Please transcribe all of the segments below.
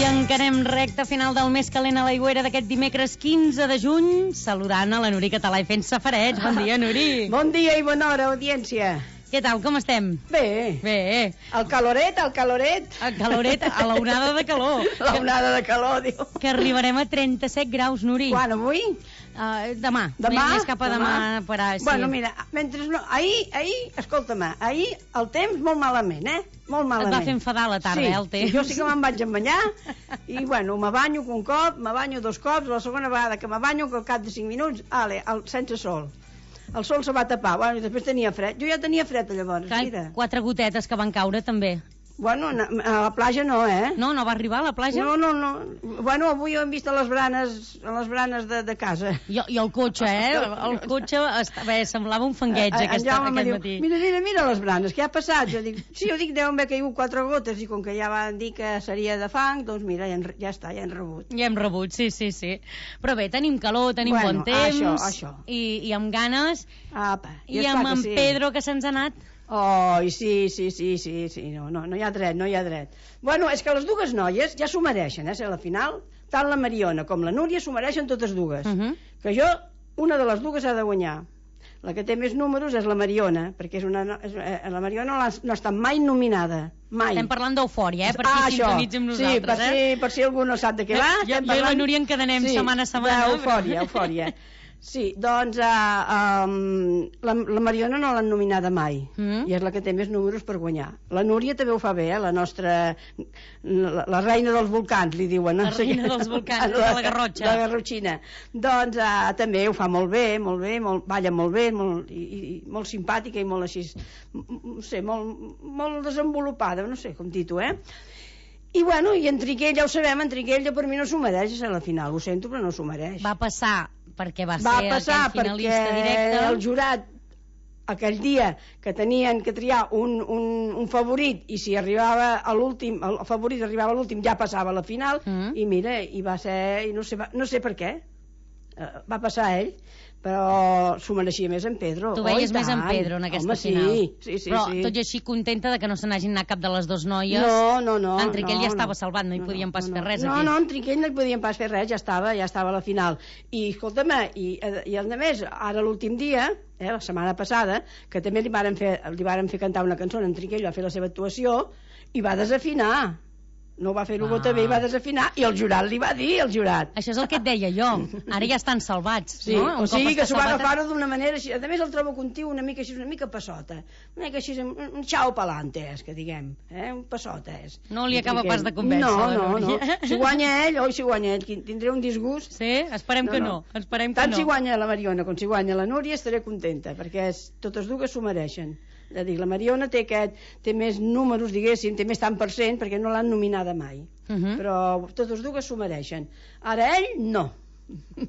encarem recta final del més calent a l'aigüera d'aquest dimecres 15 de juny, saludant a la Nuri Català i fent safarets. Bon dia, Nuri. Bon dia i bona hora, audiència. Què tal, com estem? Bé. Bé. El caloret. El caloret, a l'onada de calor. L'onada de calor, diu. Que arribarem a 37 graus, Nuri. Quan, avui? Demà. Més cap a demà. Sí. Bueno, mira, mentre no... Ahir, escolta'm, ahir el temps molt malament, Molt malament. Et va fer enfadar la tarda, sí, el temps. Sí, jo sí que me'n vaig banyar i, bueno, me banyo un cop, me banyo dos cops, la segona vegada que me banyo, que al cap de 5 minuts, sense sol. El sol se va tapar, bueno, i després tenia fred. Jo ja tenia fred, llavors, mira. 4 gotetes que van caure, també. Bueno, a la platja no, No va arribar a la platja? No. Bueno, avui ho hem vist a les branes de casa. I el cotxe, El cotxe semblava un fangueig aquest matí. Mira les branes, què ha passat? Jo dic, deuen haver caigut 4 gotes, i com que ja van dir que seria de fang, doncs mira, ja està, ja hem rebut. Ja hem rebut, sí. Però bé, tenim calor, tenim bon temps. Això. I amb ganes. Apa, I amb en Pedro, que se'ns ha anat. Oh, sí, no hi ha dret. Bueno, és que les dues noies ja s'ho mereixen, ser a la final. Tant la Mariona com la Núria s'ho mereixen totes dues. Que jo, una de les dues ha de guanyar. La que té més números és la Mariona, perquè la Mariona no està mai nominada. Mai. Estem parlant d'Eufòria, per qui sintonitza amb nosaltres. Sí, per si algú no sap de què va. Jo i la Núria encadenem setmana a setmana. Eufòria. Sí, doncs la Mariona no l'han nominada mai, i és la que té més números per guanyar. La Núria també ho fa bé, la nostra... la reina dels volcans, li diuen. La reina dels volcans, de la Garrotxa. La Garrotxina. Doncs també ho fa molt bé, balla molt bé, i molt simpàtica i molt així, no sé, molt desenvolupada, no sé com dir-ho, I bueno, i en Triquell, ja ho sabem, en Triquell per mi no s'ho mereix a la final, ho sento, però no s'ho mereix. Va passar perquè va ser aquell finalista directe. El jurat aquell dia que tenien que triar un favorit, i si arribava a l'últim, el favorit arribava a l'últim, ja passava a la final, i mira, i va ser, i no sé per què va passar ell, però s'ho mereixia més en Pedro. Tu veies més en Pedro en aquesta final. Sí. Però tot i així contenta de que no se n'hagin anat cap de les dues noies. No. En Triquell ja estava salvat, no hi podien pas fer res aquí. No, en Triquell no hi podien pas fer res, ja estava a la final. I escolta'm, i a més, ara l'últim dia, la setmana passada, que també li varen fer cantar una cançó, en Triquell va fer la seva actuació i va desafinar. No va fer-ho bé, va desafinar, i el jurat li va dir, Això és el que et deia jo. Ara ja estan salvats, no? O sigui que s'ho va agafar-ho d'una manera així. A més el trobo contiu una mica passota. Una mica així, un xau pelante, que diguem. Un passota, No li acaba pas de convèncer. No. Si guanya ell, tindré un disgust. Sí? Esperem que no. Tant si guanya la Mariona com si guanya la Núria estaré contenta, perquè totes dues s'ho mereixen. La Mariona té més números, diguéssim, té més tant per cent, perquè no l'han nominada mai. Però totes dues s'ho mereixen. Ara ell, no.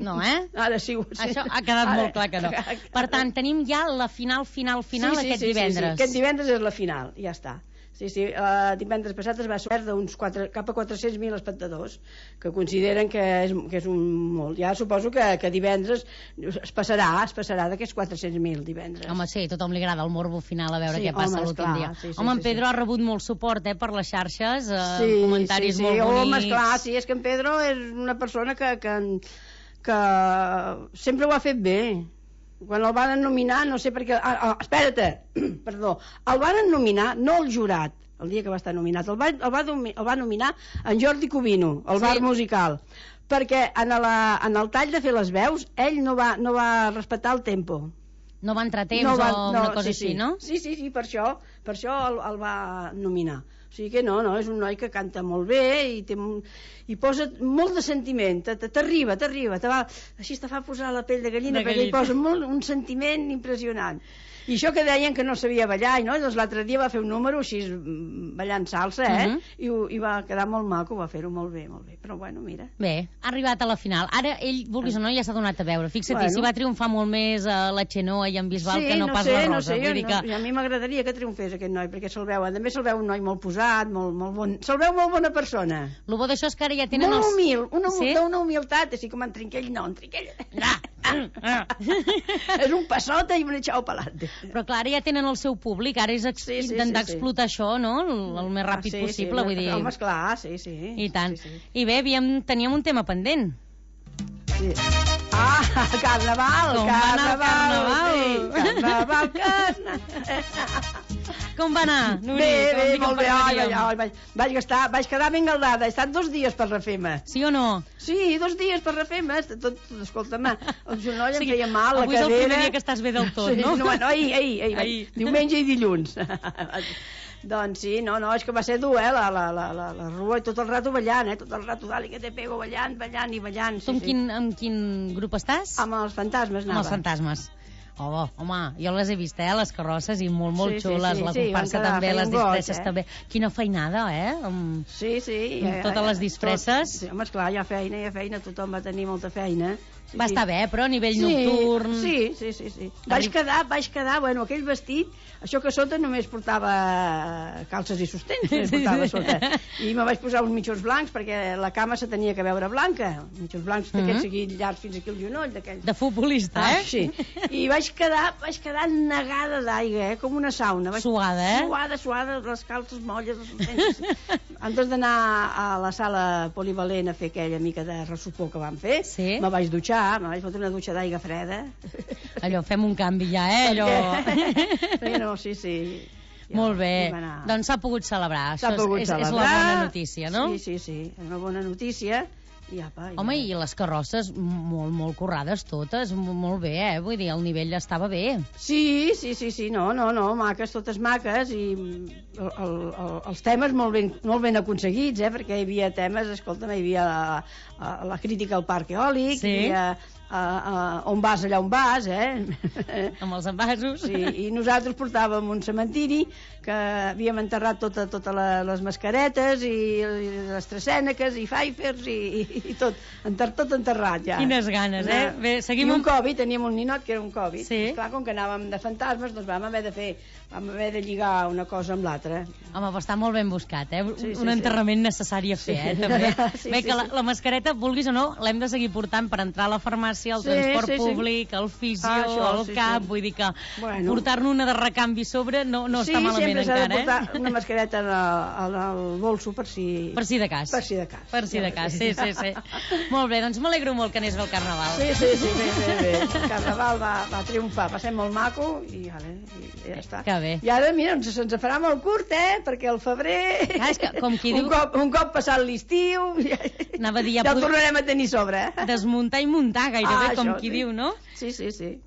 No, Ara sí. Això ha quedat molt clar que no. Per tant, tenim ja la final aquest divendres. Sí, aquest divendres és la final, ja està. Sí, divendres passat es va sortir cap a 400.000 espectadors, que consideren que és un molt. Ja suposo que divendres es passarà d'aquests 400.000 divendres. Home, sí, a tothom li agrada el morbo final, a veure què passa l'últim dia. Home, en Pedro ha rebut molt suport per les xarxes, comentaris molt bonics. Home, esclar, sí, és que en Pedro és una persona que sempre ho ha fet bé. Quan el van nominar, no sé per què... perdó, el van nominar, no el jurat, el dia que va estar nominat, el va nominar en Jordi Covino, el bar musical, perquè en el tall de fer les veus, ell no va respectar el tempo. No va entrar temps o una cosa així, no? Sí, per això el va nominar. O sigui que no, és un noi que canta molt bé i posa molt de sentiment, t'arriba, així te fa posar la pell de gallina, perquè hi posa un sentiment impressionant. I això que deien que no sabia ballar, doncs l'altre dia va fer un número així ballant salsa, i va quedar molt maco, va fer-ho molt bé, però bueno, mira. Bé, ha arribat a la final. Ara ell, vulguis o no, ja s'ha donat a veure. Fixa't, si va triomfar molt més la Xenoa i en Bisbal que no pas la Rosa. A mi m'agradaria que triomfés aquest noi, perquè també se'l veu un noi molt posat, molt bon, se'l veu molt bona persona. El bo d'això és que ara ja tenen molt humil, d'una humilitat, així com en Trinquell, no, en Trinquell... És un passota i un echao pa'lante. Però clar, ara ja tenen el seu públic, ara és intentar explotar això, no? El més ràpid possible, vull dir. Home, esclar, sí. I tant. Sí. I bé, teníem un tema pendent. Sí. Carnaval! Com va anar el Carnaval? Sí, Carnaval. Com va anar, Nuri? Bé, molt bé. Vaig quedar ben galdada. He estat 2 dies per refer-me. Sí o no? Sí, 2 dies per refer-me. Escolta'm, el genoll em feia mal, la cadera... Avui és el primer dia que estàs bé del tot, no? No, ahir. Diumenge i dilluns. Doncs sí, no, és que va ser dur, la rua, i tot el rato ballant, tot el rato, dali que te pego, ballant. Tu amb quin grup estàs? Amb els fantasmes anava. Amb els fantasmes. Oh, home, jo les he vist, les carrosses, i molt xules, la comparsa també, les disfresses també. Quina feinada, Sí. Amb totes les disfresses. Sí, home, esclar, hi ha feina, tothom va tenir molta feina. Va estar bé, però a nivell nocturn... Sí. Vaig quedar, bueno, aquell vestit, això que sota només portava calces i sostens, portava sota. I me vaig posar uns mitjons blancs, perquè la cama se tenia que veure blanca. Mitjons blancs d'aquells seguits llargs fins aquí al genoll, d'aquells. De futbolista, Sí. I vaig quedar negada d'aigua, com una sauna. Suada, Suada, les calces molles, els sostens. Antes d'anar a la sala polivalent a fer aquella mica de ressupor que vam fer, me vaig dutxar, me vaig fotre una dutxa d'aigua freda. Allò, fem un canvi ja, allò... No, sí. Ja, molt bé, doncs s'ha pogut celebrar. Això és la bona notícia, no? Sí, és una bona notícia. Home, i les carrosses molt currades totes, molt bé, vull dir, el nivell estava bé. Sí, no, maques, totes maques, i els temes molt ben aconseguits, perquè hi havia temes, escolta'm, hi havia la crítica al parc eòlic, hi havia on vas allà on vas, amb els envasos. Sí, i nosaltres portàvem un cementiri que havíem enterrat totes les mascaretes i les tresèneques i fàifers i tot enterrat ja. Quines ganes, Bé, seguim I un Covid, teníem un ninot que era un Covid. Sí. Esclar, com que anàvem de fantasmes, doncs vam haver de lligar una cosa amb l'altra. Home, però està molt ben buscat, un enterrament necessari a fer, també. Bé, que la mascareta, vulguis o no, l'hem de seguir portant per entrar a la farmàcia, al transport públic, al fisio, al CAP, vull dir que portar-ne una de recanvi sobre no està malament encara. Sí, sempre s'ha de portar una mascareta al bolso per si de cas. Sí. Molt bé, doncs m'alegro molt que anés bé el Carnaval. Sí, bé. El Carnaval va triomfar, va ser molt maco i ja està. Que bé. I ara, mira, se'ns farà molt curt, perquè el febrer... És que, com qui diu... Un cop passat l'estiu, ja el tornarem a tenir sobre. Desmuntar i muntar, gairebé, com qui diu, no? Sí.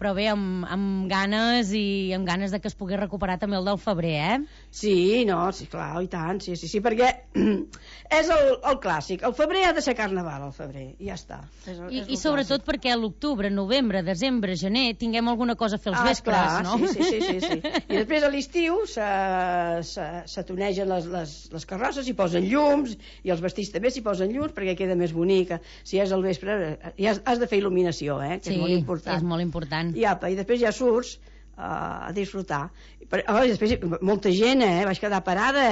Però bé, amb ganes de que es pugui recuperar també el del febrer, Sí, clar, i tant, sí, perquè és el clàssic. El febrer ha de ser Carnaval, el febrer, i ja està. I sobretot perquè a l'octubre, novembre, desembre, gener, tinguem alguna cosa a fer els vespres, no? Sí. I després a l'estiu se tonegen les carrosses, s'hi posen llums, i els vestits també s'hi posen llums, perquè queda més bonica. Si és al vespre, has de fer il·luminació, que és molt important. És molt important. I després ja surts a disfrutar. I després molta gent, vaig quedar parada,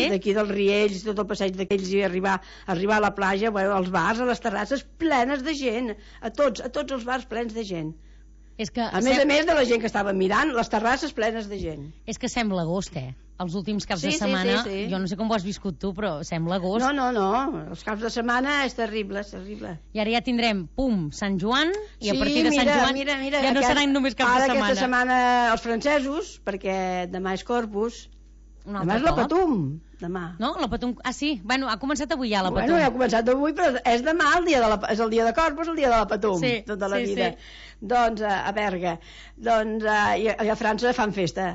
d'aquí dels Riells, tot el passeig d'aquells, i arribar a la platja, als bars, a les terrasses, plenes de gent, a tots els bars plens de gent. A més de la gent que estava mirant, les terrasses plenes de gent. És que sembla agost, Els últims caps de setmana, jo no sé com ho has viscut tu, però sembla agost. No, els caps de setmana és terrible. I ara ja tindrem, Sant Joan, i a partir de Sant Joan ja no seran només caps de setmana. Ara aquesta setmana els francesos, perquè demà és Corpus, demà és la Patum. Demà. No? La Patum... sí. Bueno, ha començat avui ja la Patum. Ja ha començat avui, però és demà és el dia de Corpus, el dia de la Patum, tota la vida. Doncs a Berga. I a França fan festa.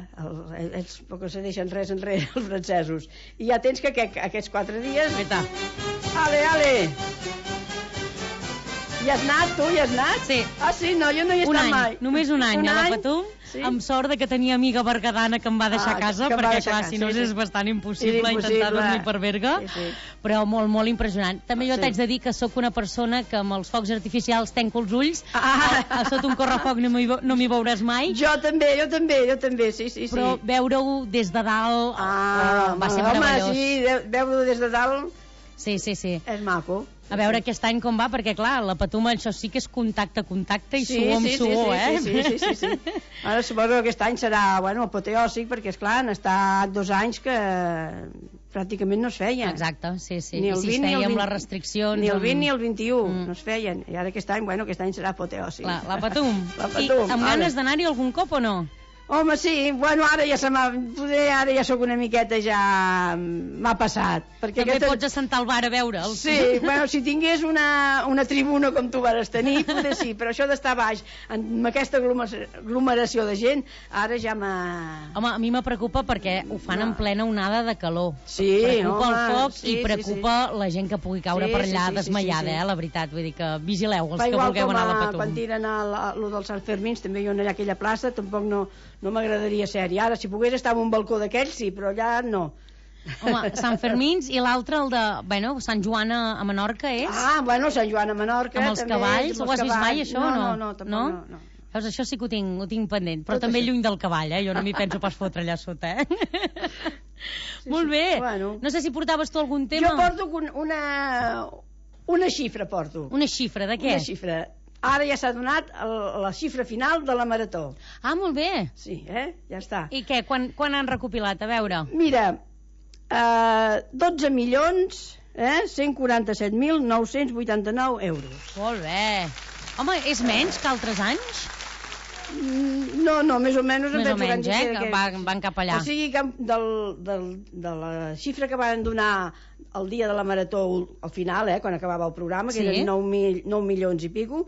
Ells poc se deixen res enrere, els francesos. I ja tens que aquests 4 dies... Ale! Hi has anat, tu? Hi has anat? Sí. Sí? No, jo no hi he estat mai. Només un any a la Patum, amb sort que tenia amiga bergadana que em va deixar a casa, perquè clar, si no és bastant impossible intentar dormir per Berga, però molt, molt impressionant. També jo t'haig de dir que sóc una persona que amb els focs artificials tenco els ulls, sota un correfoc no m'hi veuràs mai. Jo també, sí. Però veure-ho des de dalt va ser meravellós. Home, sí, veure-ho des de dalt Sí. És maco. A veure aquest any com va, perquè clar, la Patum això sí que és contacte i suor amb suor, Sí. Ara suposo que aquest any serà, apoteòsic, perquè esclar, han estat 2 anys que pràcticament no es feien. Exacte, sí. Ni el 20, amb les restriccions... Ni el 20 ni el 21 no es feien. I ara aquest any serà apoteòsic. Clar, la Patum. I amb ganes d'anar-hi algun cop o no? Home, sí, ara ja ara ja sóc una miqueta, ja m'ha passat. També pots assentar al bar a veure'l. Sí, si tingués una tribuna com tu vas tenir, potser sí, però això d'estar baix, amb aquesta aglomeració de gent, ara ja m'ha... Home, a mi me preocupa perquè ho fan en plena onada de calor. Sí, preocupa el foc i preocupa la gent que pugui caure per allà desmaiada, la veritat. Vull dir que vigileu els que vulgueu anar a la Patum. Quan tiren lo dels Sant Fermins, també hi ha allà aquella plaça, tampoc no m'agradaria ser-hi. Ara, si pogués estar en un balcó d'aquells, sí, però allà no. Home, Sant Fermins i l'altre, el de Sant Joan a Menorca, és? Sant Joan a Menorca. Amb els cavalls, ho has vist mai, això, o no? No. Veus, això sí que ho tinc pendent, però també lluny del cavall, jo no m'hi penso pas fotre allà sota, Molt bé. No sé si portaves tu algun tema. Jo porto una xifra, porto. Una xifra, de què? Una xifra. Ara ja s'ha donat la xifra final de la Marató. Ah, molt bé. Sí, ja està. I què? Quan han recopilat? A veure. Mira, 12.147.989 euros. Molt bé. Home, és menys que altres anys? No, més o menys. Més o menys, que van cap allà. O sigui que de la xifra que van donar el dia de la Marató al final, quan acabava el programa, que eren 9 milions i pico,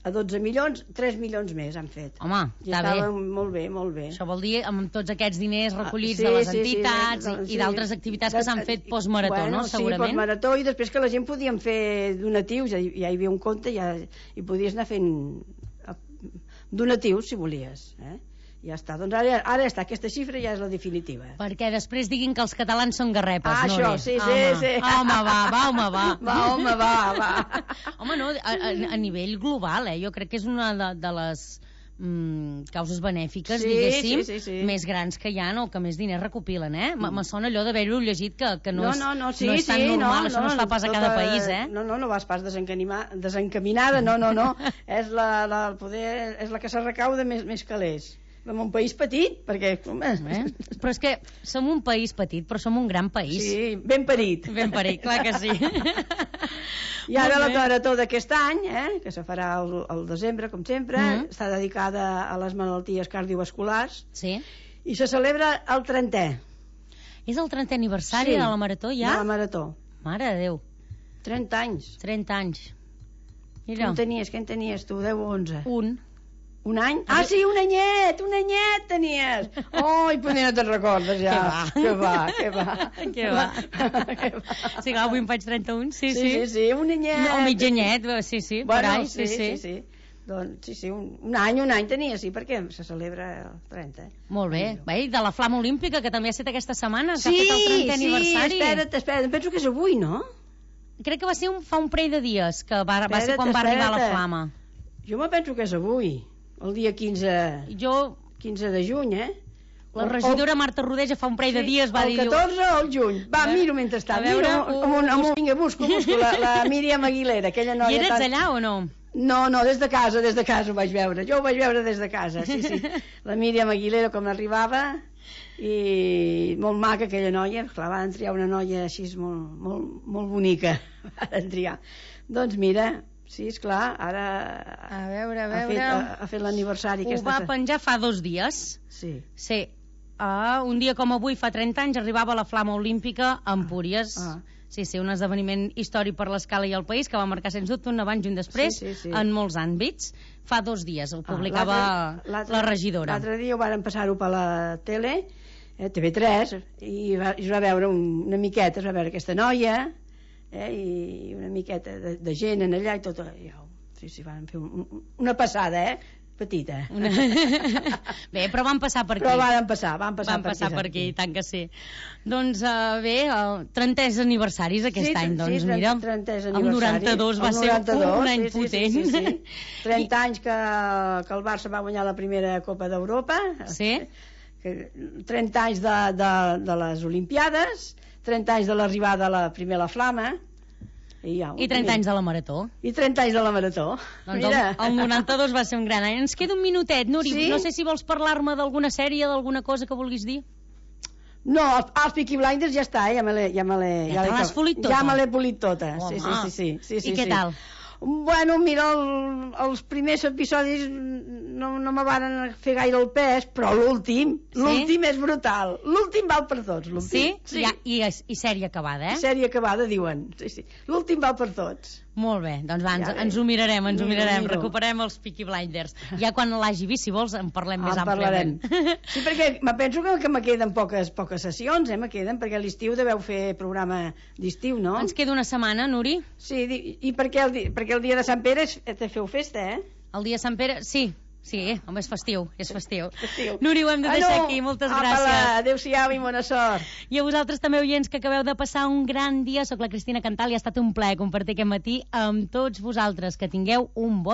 a 12 milions, 3 milions més han fet. Home, està bé. Molt bé, molt bé. Això vol dir amb tots aquests diners recollits de les entitats i d'altres activitats que s'han fet post-marató, no? Segurament. Sí, post-marató, i després que la gent podien fer donatius, ja hi havia un compte i podies anar fent donatius, si volies, Ja està, doncs ara està, aquesta xifra ja és la definitiva. Perquè després diguin que els catalans són garrepes, no? Això, sí. Home, va. Home, no, a nivell global, jo crec que és una de les causes benèfiques, diguéssim, més grans que hi ha, o que més diners recopilen, Me sona allò d'haver-ho llegit que no és tan normal, això no es fa pas a cada país, No vas pas desencaminada, no. És la que se recauda més calés. En un país petit, perquè... Però és que som un país petit, però som un gran país. Sí, ben parit. Ben parit, clar que sí. I ara la Marató d'aquest any, que se farà al desembre, com sempre, està dedicada a les malalties cardiovasculars. Sí. I se celebra el 30è. És el 30è aniversari de la Marató, ja? De la Marató. Mare de Déu. 30 anys. 30 anys. Mira. Què en tenies tu, 10 o 11? Un any? Sí, un anyet tenies. I potser no te'n recordes ja. Què va. Sí, clar, avui em faig 31, sí. Sí, un anyet. O mig anyet, sí. Sí. Doncs sí, un any tenia, sí, perquè se celebra el 30. Molt bé. I de la Flama Olímpica, que també ha estat aquesta setmana, que ha fet el 30è aniversari. Sí, espera't, penso que és avui, no? Crec que va ser fa un parell de dies, que va ser quan va arribar la Flama. Jo me penso que és avui. El dia 15 de juny, La regidora Marta Rodeja fa un parell de dies va dir... El 14 o el juny. Va, miro mentrestant. Vinga, busco la Míriam Aguilera, aquella noia... I eres allà o no? No, des de casa ho vaig veure. Jo ho vaig veure des de casa, sí. La Míriam Aguilera, com arribava, i molt maca aquella noia. Clar, van triar una noia així molt bonica. Van triar. Doncs mira... Sí, esclar, ara... A veure... Ha fet l'aniversari. Ho va penjar fa 2 dies. Sí. Un dia com avui, fa 30 anys, arribava la Flama Olímpica a Empúries. Sí, un esdeveniment històric per l'escala i el país, que va marcar, sens dubte, un abans i un després, en molts àmbits. Fa 2 dies, ho publicava la regidora. L'altre dia ho varen passar-ho per la tele, TV3, i es va veure una miqueta, es va veure aquesta noia... i una miqueta de gent en allà i tot sí, van fer una passada petita bé, però van passar per aquí van passar per aquí, tant que sí. Doncs bé, 30è aniversaris aquest any, doncs mira, el 92 va ser un any potent. 30 anys que el Barça va guanyar la primera Copa d'Europa, 30 anys de les Olimpiades, 30 anys de l'arribada de la primera Flama, I 30 anys de la Marató. I 30 anys de la Marató. Doncs el 92 va ser un gran any. Ens queda un minutet, Núria. Sí? No sé si vols parlar-me d'alguna sèrie, d'alguna cosa que vulguis dir. No, els Peaky Blinders ja està, ja me l'has polit tota? Ja me l'he polit tota. Home. Sí. I què tal? Bueno, mira, els primers episodis no me van fer gaire el pes, però l'últim és brutal. L'últim val per tots. Sí? I sèrie acabada, eh? Sèrie acabada, diuen. Sí. L'últim val per tots. Molt bé, doncs va, ens ho mirarem, recuperem els Peaky Blinders. Ja quan l'hagi vist, si vols, en parlem més àmpliament. Sí, perquè me penso que me queden poques sessions, me queden, perquè a l'estiu deveu fer programa d'estiu, no? Ens queda una setmana, Nuri. Sí, i perquè el dia de Sant Pere te feu festa, eh? El dia de Sant Pere, sí, home, és festiu. Núria, ho hem de deixar aquí, moltes gràcies. Adéu-siau i bona sort. I a vosaltres també, oients, que acabeu de passar un gran dia. Soc la Cristina Cantal i ha estat un plaer compartir aquest matí amb tots vosaltres. Que tingueu un bon